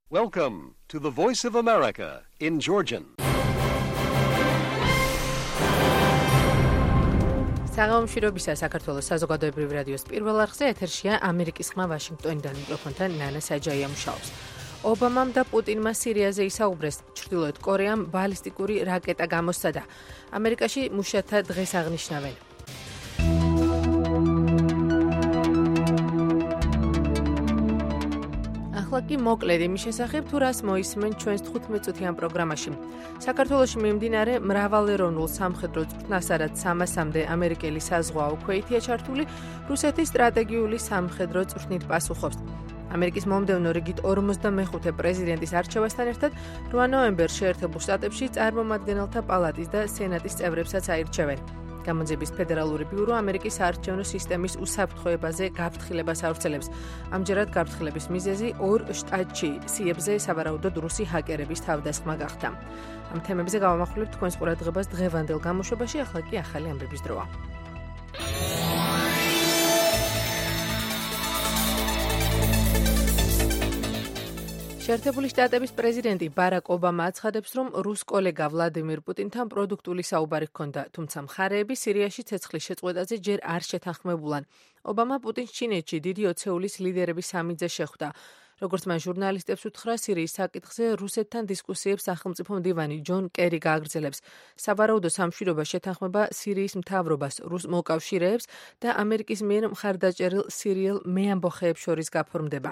Welcome to the Voice of America in Georgian. საღამომშვიდობისა საქართველოს საზოგადოებრივ რადიოს პირველ არხზე ეთერშია ამერიკის ხმა ვაშინგტონიდან მიკროფონთან ნანა საჯაია მუშაობს. ობამამ და პუტინმა სირიაზე ისაუბრეს, ჩრდილოეთ კორეამ ბალისტიკური რაკეტა გამოსცადა. ამერიკაში მუშათა დღეს აღნიშნავენ. ახლა კი მოკლედ იმის შესახებ, თუ რას მოისმენ ჩვენს 15-წუთიან პროგრამაში. საქართველოში მიმდინარე მრავალეროვნულ სამხედრო წვრთნას, სადაც 300-მდე ამერიკელი საზღვაო ქვეითია ჩართული, რუსეთის სტრატეგიული სამხედრო წვრთნით პასუხობს. ამერიკის მომდევნო რიგით 45 პრეზიდენტის არჩევასთან ერთად 8 ნოემბერს შეერთებულ შტატებში წარმომადგენელთა პალატის და სენატის წევრებსაც აირჩევენ. გამონძიების ფედერალური ბიურო ამერიკის საარჩევნო სისტემის უსაფრთხოებაზე გაფრთხილებას ავრცელებს. ამჯერად გაფრთხილების მიზეზი 2 შტატში სიებზე სავარაუდოდ რუსი ჰაკერების თავდასხმა გახდა. ამ თემებზე გავამახვილებთ თქვენს ყურადღებას დღევანდელ გამოშვებაში, ახლა კი ახალი ამბების დროა. შეერთებული შტატების პრეზიდენტი ბარაკ ობამა აცხადებს, რომ რუს კოლეგა ვლადიმირ პუტინთან პროდუქტული საუბარი ჰქონდა, თუმცა მხარეები სირიაში ცეცხლის შეწყვეტაზე ჯერ არ შეთანხმებულან. ობამა პუტინს ჩინეთში დიდი ოცეულის ლიდერების სამიძე შეხვდა. როგორც მან ჟურნალისტებს უთხრა, სირიის საკითხზე რუსეთთან დისკუსიებს სახელმწიფო მდივანი ჯონ კერი გააგრძელებს. სავარაუდო სამშვიდობა შეთანხმება სირიის მთავრობას, რუს მოკავშირეებს და ამერიკის მიერ მხარდაჭერილ სირიელ მეამბოხეებს შორის გაფორმდება.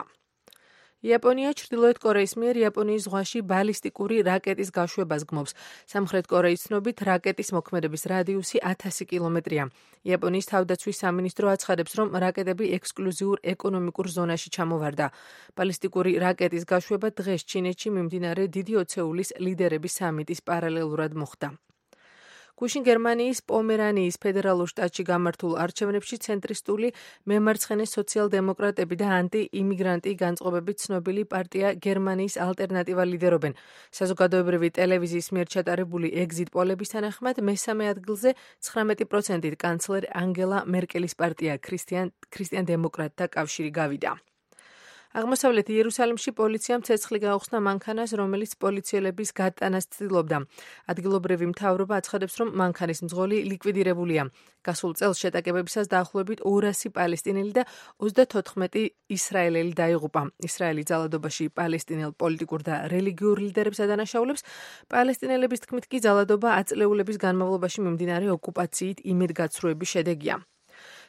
იაპონია ჩრდილოეთ კორეის მიერ იაპონიის ზღვაში ბალისტიკური რაკეტის გაშვებას გმობს. სამხრეთ კორეის ცნობით რაკეტის მოქმედების რადიუსი 1000 კილომეტრია. იაპონიის თავდაცვის სამინისტრო აცხადებს, რომ რაკეტები ექსკლუზიურ ეკონომიკურ ზონაში ჩამოვარდა. ბალისტიკური რაკეტის გაშვება დღეს ჩინეთში მიმდინარე დიდი ოცეულის ლიდერების სამიტის პარალელურად მოხდა. გუშინ გერმანიის პომერანიის ფედერალურ შტატში გამართულ არჩევნებში ცენტრისტული მემარცხენე სოციალ-დემოკრატები და ანტი-იმიგრანტი განწყობებით ცნობილი პარტია გერმანიის ალტერნატივა ლიდერობენ. საზოგადოებრივი ტელევიზიის მიერ ჩატარებული ეგზიტ პოლების თანახმად მესამე ადგილზე 19%-ით კანცლერ ანგელა მერკელის პარტია ქრისტიან-დემოკრატთა კავშირი გავიდა. აღმოსავლეთ იერუსალიმში პოლიციამ ცეცხლი გაუხსნა მანქანას, რომელიც პოლიციელების გატანას ცდილობდა. ადგილობრივი მთავრობა აცხადებს, რომ მანქანის მძღოლი ლიკვიდირებულია. გასულ წელს შეტაკებებისას დაახლოებით 200 პალესტინელი და 34 ისრაელელი დაიღუპა. ისრაელი ძალადობაში პალესტინელ პოლიტიკურ და რელიგიურ ლიდერებს ადანაშაულებს. პალესტინელების თქმით კი ძალადობა აწლეულების განმავლობაში მიმდინარე ოკუპაციით იმედგაცრუების შედეგია.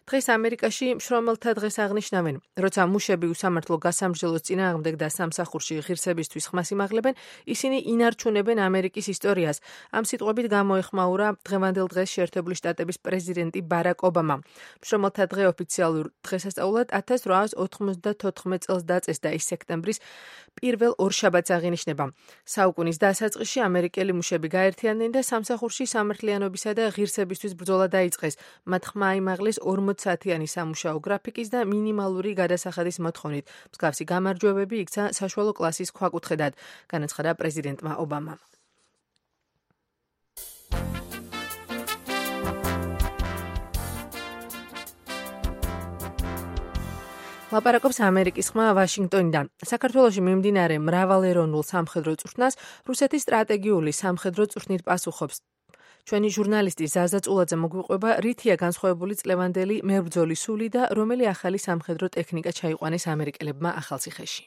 დღეს ამერიკაში მშრომელთა დღეს აღნიშნავენ. როცა მუშები უსამართლო გასამრჯელოს წინააღმდეგ და სამსახურში ღირსებისთვის ხმას იმაღლებენ, ისინი ინარჩუნებენ ამერიკის ისტორიას. ამ სიტყვებით გამოეხმაურა დღევანდელ დღეს შეერთებული შტატების პრეზიდენტი ბარაკ ობამა. მშრომელთა დღე ოფიციალურ დღესასწაულად 1894 წელს დაწესდა, ის სექტემბრის პირველ ორშაბათს აღინიშნება. საუკუნის დასაწყისში ამერიკელი მუშები გაერთიანდნენ და სამსახურში სამართლიანობისა და ღირსებისთვის ბრძოლა დაიწყეს. მათ ხმა აიმაღლეს 40-საათიანი სამუშაო გრაფიკის და მინიმალური გადასახადის მოთხოვნით. მსგავსი გამარჯვებები იქცა საშუალო კლასის ქვაკუთხედად, განაცხადა პრეზიდენტმა ობამამ. ლაპარაკობს ამერიკის ხმა ვაშინგტონიდან. საქართველოში მიმდინარე მრავალეროვნულ სამხედრო წვრთნას რუსეთის სტრატეგიული სამხედრო წვრთნით პასუხობს. ჩვენი ჟურნალისტი ზაზა წულაძე მოგვიყვება, რითია განსხვავებული წლევანდელი მებრძოლის სული და რომელი ახალი სამხედრო ტექნიკა ჩაიყვანეს ამერიკელებმა ახალციხეში.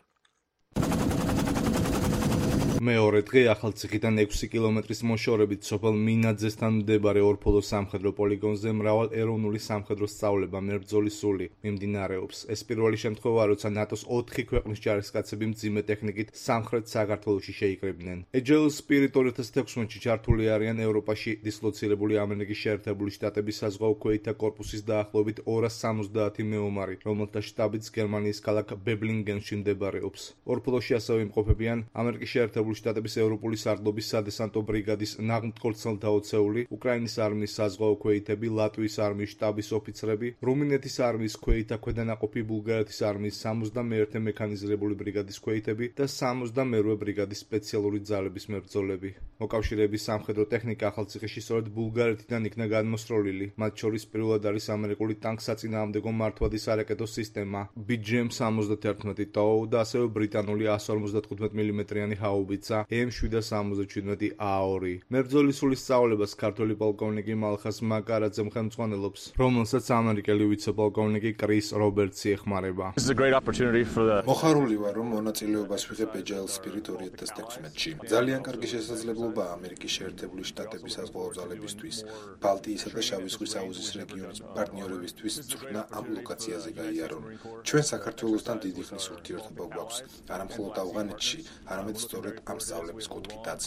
მეორე დღე ახალციხიდან 6 კილომეტრის მოშორებით სოფელ მინაძესთან მდებარე ორფოლოს სამხედრო პოლიგონზე მრავალ ეროვნული სამხედრო სწავლება მებრძოლის სული მიმდინარეობს. ეს პირველი შემთხვევაა, როცა ნატოს 4 ქვეყნის ჯარისკაცები მძიმე ტექნიკით სამხრეთ საქართველოში შეიკრიბნენ. Agile Spirit 2016-ში ჩართული არიან ევროპაში დისლოცირებული ამერიკის შეერთებული შტატების საზღვაო ქვეითთა კორპუსის დაახლოებით 270 მეომარი, რომელთა შტაბიც გერმანიის ქალაქ ბებლინგენში მდებარეობს. ორფოლოში ასევე იმყოფებიან ამერიკის შეერთებული შეერთებული შტატების ევროპული სარდლობის სადესანტო ბრიგადის ნაღმდგორცელთა ოცეული, უკრაინის არმიის საზღვაო ქვეითები, ლატვიის არმიის შტაბის ოფიცრები, რუმინეთის არმიის ქვეითა ქვედანაყოფი, ბულგარეთის არმიის 71-ე მექანიზირებული ბრიგადის ქვეითები და 72-ე ბრიგადის სპეციალური ძალების მებრძოლები. მოკავშირეების სამხედრო ტექნიკა ახალციხეში სწორედ ბულგარეთიდან იქნა გადმოსროლილი. მათ შორის პირველად არის ამერიკული ტანკსაწინააღმდეგო მართვადის არაკეტო სისტემა BGM-71 TOW და ასევე ბრიტანული 155 მმ-იანი ჰაუბიცა M777 A2. მებრძოლის სრული სწავლებას ქართველი პოლკოვნიკი მალხას მაკარაძე ხელმძღვანელობს, რომელსაც ამერიკელი ვიცე-პოლკოვნიკი კრის რობერტსი ეხმარება. მოხარული ვარ, რომ მონაწილეობას ვიღებ Agile Spirit 2016-ში. ძალიან კარგი შესაძლებლობა ამერიკის შეერთებული შტატების საზღვაო ძალებისთვის, ბალტიისა და შავი ზღვის აუზის რეგიონის პარტნიორებისთვის წვრთნა ამ ლოკაციაზე გაიარონ. ჩვენ საქართველოსთან დიდი ხნის ურთიერთობა გვაქვს, არა მხოლოდ ავღანეთში, არამედ სწორედ ამ სწავლების კუთხითაც.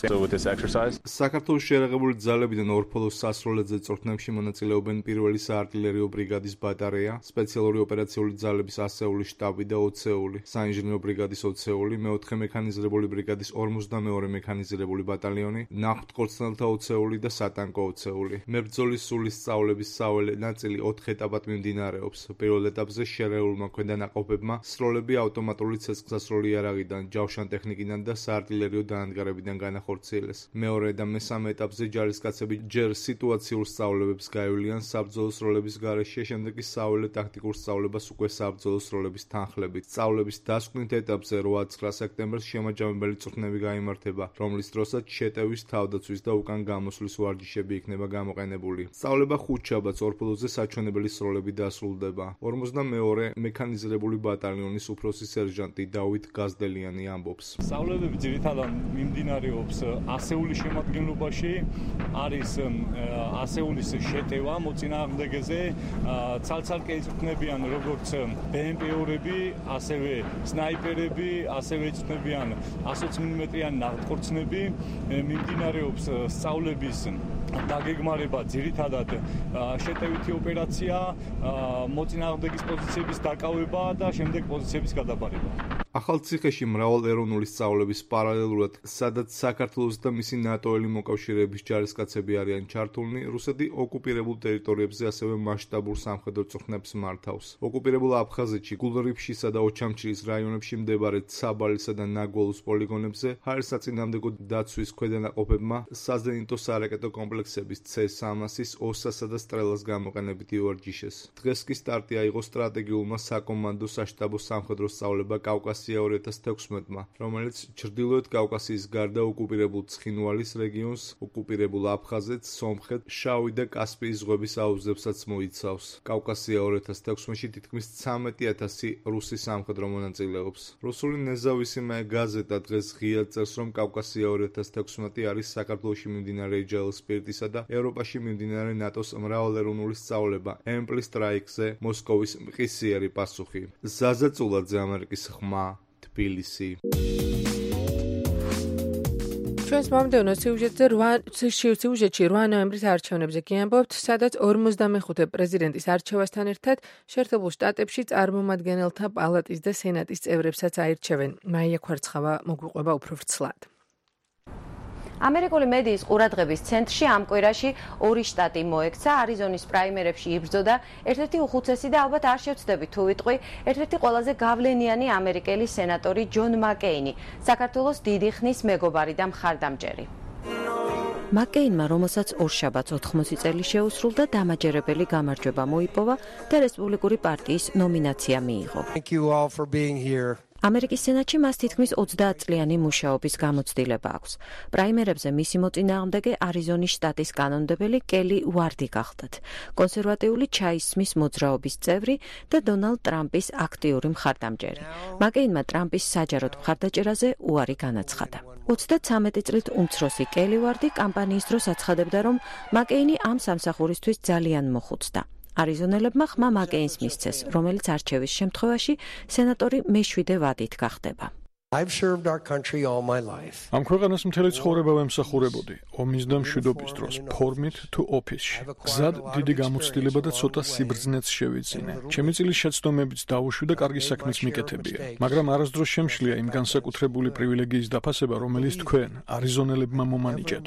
საქართველოს შეერაღებული ძალებიდან ორფოლოს სასროლედზე წვრთნებში მონაწილეობენ პირველი საარტილერიო ბრიგადის ბატარეა, სპეციალური ოპერაციული ძალების ასეული შტაბი და ოცეული, საინჟინრო ბრიგადის ოცეული, მეოთხე მექანიზირებული ბრიგადის 52 მექანიზირებული ბატალიონი, ნახტკორცნელთა ოცეული და სატანკო ოცეული. მებრძოლის სრული სწავლების საველე ნაწილი 4 ეტაპად მიმდინარეობს. პირველ ეტაპზე შერეულმა ქვედანაყოფებმა სროლები ავტომატური ცეცხლსასროლი იარაღიდან, ჯავშან ტექნიკიდან და საარტილერიო დანადგარებიდან განახორციელეს. მეორე და მესამე ეტაპზე ჯარისკაცები ჯერ სიტუაციურ სწავლებებს გაივლიან საბრძოლო სროლების გარეშე, შემდეგ კი საველე ტაქტიკურ სწავლებას უკვე საბრძოლო სროლების თანხლებით. სწავლების დასკვნით ეტაპზე 8-9 სექტემბერს შემაჯამებელი წვრთნები გაიმართება, რომლის დროსაც შეტევის, თავდაცვის და უკან გამოსვლის ვარჯიშები იქნება გამოყენებული. სწავლება ხუთშაბათს ორფოლოზე საჩვენებელი სროლები დასრულდება. 52-ე მექანიზირებული ბატალიონის უფროსი სერჟანტი დავით გაზდელიანი ამბობს. სწავლებები ძირითადად მიმდინარეობს ასეულის შემადგენლობაში, არის ასეულის შეტევა მოწინააღმდეგეზე, ცალ-ცალკე იწვრთნებიან როგორც BMP-ები, ასევე სნაიპერები, ასევე იწვრთნებიან 120 მმ-იანი ნახტკორცნები, მიმდინარეობს სწავლების დაგეგმარება ძირითადად შეტევითი ოპერაცია, მოწინააღმდეგის პოზიციების დაკავება და შემდეგ პოზიციების გადაბარება. ახალციხეში მრავალეროვნული სწავლების პარალელურად, სადაც საქართველოს და მისი ნატოელი მოკავშირეების ჯარისკაცები არიან ჩართულნი, რუსეთი ოკუპირებულ ტერიტორიებზე ასევე მასშტაბურ სამხედრო წვრთნებს მართავს. ოკუპირებულ აფხაზეთში, გულრიფშისა და ოჩამჩირის რაიონებში მდებარე ცაბალისა და ნაგოლუს პოლიგონებზე ჰაერსაწინააღმდეგო დაცვის ქვედანაყოფებმა საზენიტო სარაკეტო კომპლექსების C-300-ის, ოსასა და სტრელას გამოყენებით ივარჯიშეს. დღეს კი სტარტი აიღო სტრატეგიულმა საკომანდო საშტაბო სამხედრო სწავლება კავკასიაში 2016-მა, რომელიც ჩრდილოეთ კავკასიის გარდა ოკუპირებულ ცხინვალის რეგიონს, ოკუპირებულ აფხაზეთს, სომხეთს, შავი და კასპიის ზღვების აუზებსაც მოიცავს. კავკასია 2016-ში თითქმის 13,000 რუსი სამხედრო მონაწილეობს. რუსული ნეზავისიმე გაზეტა დღეს ღიად წერს, რომ კავკასია 2016 არის საქართველოში მიმდინარე Agile Spirit-ისა და ევროპაში მიმდინარე ნატოს მრავალეროვნული სწავლება Ample Strike-ზე მოსკოვის მყისიერი პასუხი. ზაზა წულაძე, ამერიკის ხმა, თბილისი. ჩვენს მომდევნო სიუჟეტში 8 ნოემბრის არჩევნებზე გიამბობთ, სადაც 45 პრეზიდენტის არჩევასთან ერთად შეერთებულ შტატებში წარმომადგენელთა პალატის და სენატის წევრებსაც აირჩევენ. მაია ქვარცხავა მოგვიყვება უფრო ვრცლად. ამერიკული მედიის ყურადღების ცენტრში ამ კვირაში 2 შტატი მოექცა, არიზონის პრაიმერებში იბრძოდა ერთ-ერთი უხუცესი და ალბათ არ შევცდები თუ ვიტყვი, ერთ-ერთი ყველაზე გავლენიანი ამერიკელი სენატორი ჯონ მაკეინი, საქართველოს დიდი ხნის მეგობარი და მხარდამჭერი. მაკეინმა, რომელსაც ორშაბათს 80 წელი შეუსრულდა, დამაჯერებელი გამარჯვება მოიპოვა და რესპუბლიკური პარტიის ნომინაცია მიიღო. ამერიკის სენატში მას თითქმის 30 წლიანი მუშაობის გამოცდილება აქვს. პრაიმერებზე მისი მოწინააღმდეგე არიზონის შტატის კანონმდებელი კელი ვარდი გახდათ, კონსერვატიული ჩაისმის მოძრაობის წევრი და დონალდ ტრამპის აქტიური მხარდამჭერი. მაკეინმა ტრამპის საჯაროდ მხარდაჭერაზე უარი განაცხადა. 33 წლით უმცროსი კელი ვარდი კამპანიის დროს აცხადებდა, რომ მაკეინი ამ სამსახურისთვის ძალიან მოხუცდა. არიზონელებმა ხმა მაკეინს მისცეს, რომელიც არჩევის შემთხვევაში სენატორი მე-7 ვადით გახდება. I've served our country all my life. Am ქვეყანას მთელი ცხოვრება ვემსახურებოდი, ომის და მშვიდობის დროს, ფორმით თუ ოფისში. გზად დიდი გამოცდილება და ცოტა სიბრძნეც შევიძინე. ჩემი წილის შეცდომებიც დაუშვი და კარგი საქმეც მიკეთებია. მაგრამ არასდროს შემშლია იმ განსაკუთრებული პრივილეგიის დაფასება, რომელიც თქვენ, არიზონელებმა მომანიჭეთ.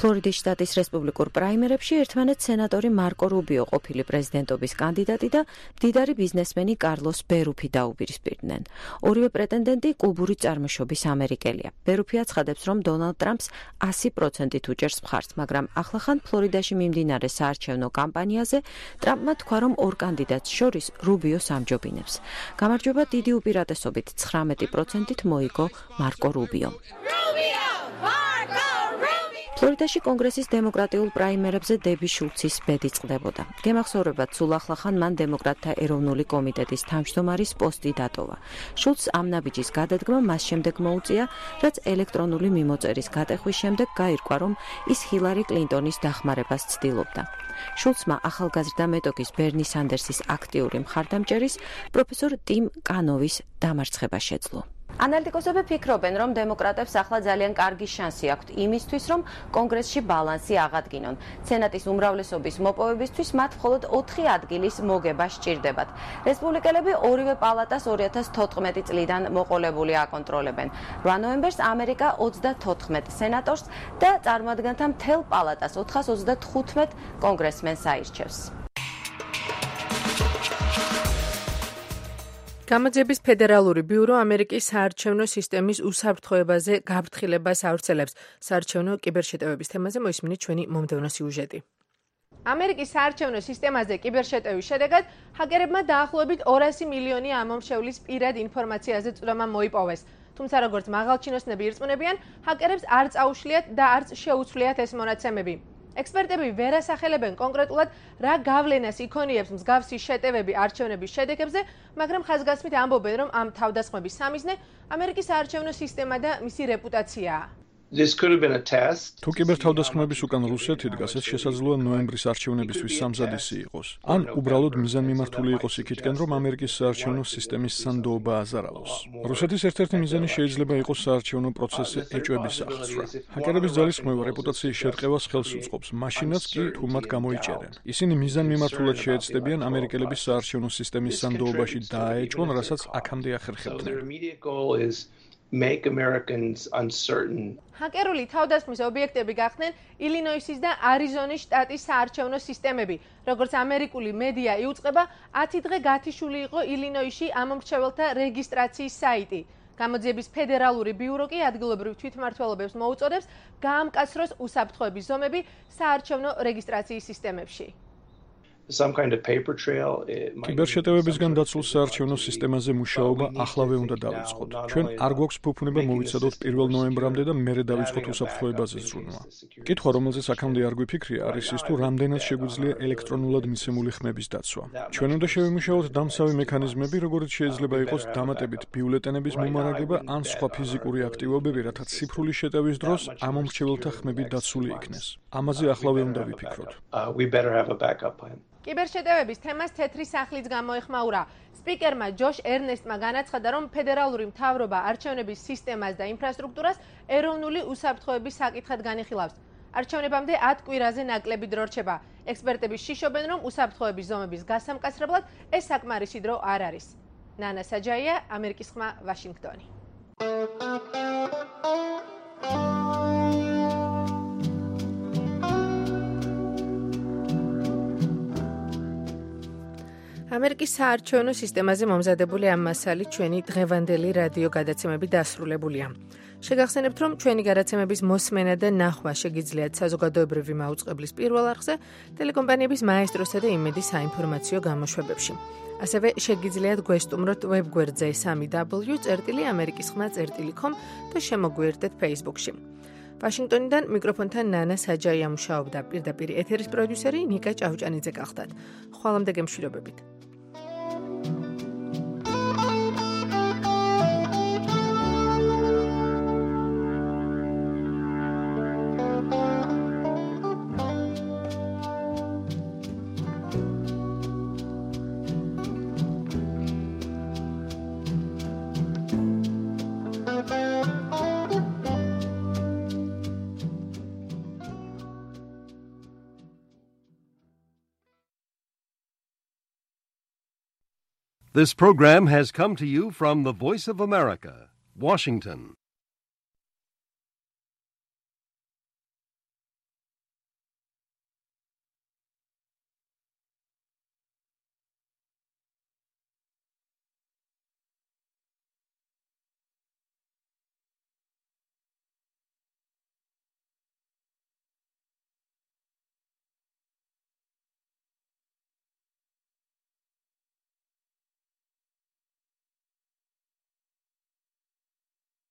ფლორიდის შტატის რესპუბლიკურ პრაიმერებში ერთმანეთს სენატორი მარკო რუბიო ყოფილი პრეზიდენტობის კანდიდატი და მდიდარი ბიზნესმენი კარლოს ბერუფი დაუპირისპირდნენ. ორივე პრეტენდენტი კუბური წარმოშობის ამერიკელია. ბერუფი აცხადებს, რომ დონალდ ტრამპს 100%-ით უჭერს მხარს, მაგრამ ახლახან ფლორიდაში მიმდინარე საარჩევნო კამპანიაზე ტრამპმა თქვა, რომ ორ კანდიდატს შორის რუბიოს ამჯობინებს. გამარჯვება დიდი უპირატესობით 19%-ით მოიგო მარკო რუბიო. ფლორიდაში კონგრესის დემოკრატიულ პრაიმერებზე დები შულცის ბედი წყდებოდა. გემახსოვრებათ, სულ ახლახან მან დემოკრატთა ეროვნული კომიტეტის თავმჯდომარის პოსტი დატოვა. შულცს ამ ნაბიჯის გადადგმა მას შემდეგ მოუწია, რაც ელექტრონული მიმოწერის გატეხვის შემდეგ გაირკვა, რომ ის ჰილარი კლინტონის დახმარებას ცდილობდა. შულცმა ახალგაზრდა მეტოქის ბერნი სანდერსის აქტიური მხარდამჭერის პროფესორ ტიმ კანოვის დამარცხება შეძლო. ანალიტიკოსები ფიქრობენ, რომ დემოკრატებს ახლა ძალიან კარგი შანსი აქვთ იმისთვის, რომ კონგრესში ბალანსი აღადგინონ. სენატის უმრავლესობის მოპოვებისთვის მათ მხოლოდ 4 ადგილის მოგება სჭირდებათ. რესპუბლიკელები ორივე პალატას 2014 წლიდან მოყოლებული აკონტროლებენ. 8 ნოემბერს ამერიკა 34 სენატორს და წარმოადგენთა მთელ პალატას 435 კონგრესმენს აირჩევს. გამოძიების ფედერალური ბიურო ამერიკის საარჩევნო სისტემის უსაფრთხოებაზე გაფრთხილებას ავრცელებს. საარჩევნო კიბერშეტევების თემაზე მოისმინეთ ჩვენი მომდევნო სიუჟეტი. ამერიკის საარჩევნო სისტემაზე კიბერშეტევის შედეგად ჰაკერებმა დაახლოებით 200 მილიონი ამომრჩევლის პირად ინფორმაციაზე წვდომა მოიპოვეს. თუმცა როგორც მაღალჩინოსნები ირწმუნებიან, ჰაკერებს არ წაუშლიათ და არც შეუცვლიათ ეს მონაცემები. ექსპერტები ვერ ასახელებენ კონკრეტულად რა გავლენას იქონიებს მსგავსი შეტევები არჩევნების შედეგებზე, მაგრამ ხაზგასმით ამბობენ, რომ ამ თავდასხმების სამიზნე ამერიკის საარჩევნო სისტემა და მისი რეპუტაციაა. თუ კიბერთავდასხმების უკან რუსეთი დგას, ეს შესაძლოა ნოემბრის არჩევნებისთვის სამზადისი იყოს. ან უბრალოდ მიზანმიმართული იყოს იქითკენ, რომ ამერიკის საარჩევნო სისტემის სანდოობა აზარავოს. რუსეთის ერთ-ერთი მიზანი შეიძლება იყოს საარჩევნო პროცესი ეჭვების აღწვა. ჰაკერების ძალისხმევა რეპუტაციის შერყევას ხელს უწყობს, მაშინაც კი თუ მათ გამოიჭერენ. ისინი მიზანმიმართულად შეეცდებიან ამერიკელების საარჩევნო სისტემის სანდოობაში დააეჭვონ, რასაც აქამდე ახერხებდნენ. Make Americans uncertain. ჰაკერული თავდასხმის ობიექტები გახდნენ ილინოისის და არიზონის შტატის საარჩევნო სისტემები. როგორც ამერიკული მედია იუწყება, 10 დღე გათიშული იყო ილინოისში ამომრჩეველთა რეგისტრაციის საიტი. გამოძიების ფედერალური ბიურო კი ადგილობრივ თვითმმართველობებს მოუწოდებს გაამკაცროს უსაფრთხოების ზომები საარჩევნო რეგისტრაციის სისტემებში. Some kind of paper trail. კიბერშეტევებისგან დაცულ საარჩევნო სისტემაზე მუშაობა ახლავე უნდა დავიწყოთ. ჩვენ არ გვაქვს ფუფუნება მოვიცადოთ 1 ნოემბრამდე და მერე დავიწყოთ უსაფრთხოებაზე ზრუნვა. კითხვა, რომელზეც აქამდე არ გვიფიქრია, არის ის, თუ რამდენად შეგვიძლია ელექტრონულად მიცემული ხმების დაცვა. ჩვენ უნდა შევიმუშაოთ დამცავი მექანიზმები, როგორც შეიძლება იყოს დამატებით ბიულეტენების მომარაგება ან სხვა ფიზიკური აქტივობები, რათა ციფრული შეტევის დროს ამომრჩეველთა ხმები დაცული იქნეს. ამაზე ახლავე უნდა ვიფიქროთ. We better have a backup plan. კიბერშეტევების თემას თეთრი სახლიც გამოეხმაურა. სპიკერმა ჯოშ ერნესტმა განაცხადა, რომ ფედერალური მთავრობა არჩევნების სისტემას და ინფრასტრუქტურას ეროვნული უსაფრთხოების საკითხად განიხილავს. არჩევნებამდე 10 კვირაზე ნაკლები დრო რჩება. ექსპერტები შიშობენ, რომ უსაფრთხოების ზომების გასამკაცრებლად ეს საკმარისი დრო არ არის. ნანა საჯაია, ამერიკის ხმა, ვაშინგტონი. ამერიკის საარჩევნო სისტემაზე მომზადებული ამ მასალით ჩვენი დღევანდელი რადიო გადაცემები დასრულებულია. შეგახსენებთ, რომ ჩვენი გადაცემების მოსმენა და ნახვა შეგიძლიათ საზოგადოებრივი მაუწყებლის პირველ არხზე, ტელეკომპანიების მაესტროსა და იმედის საინფორმაციო გამოშვებებში. ასევე შეგიძლიათ გვესტუმროთ ვებგვერდზე www.amerikiskhma.com და შემოგვიერთდეთ Facebook-ში. ვაშინგტონიდან მიკროფონთან ნანა საჯაია მუშაობდა, პირდაპირ ეთერის პროდიუსერი ნიკა ჭავჭანიძე გახდათ. ხვალამდე გემშვიდობებით. This program has come to you from the Voice of America, Washington.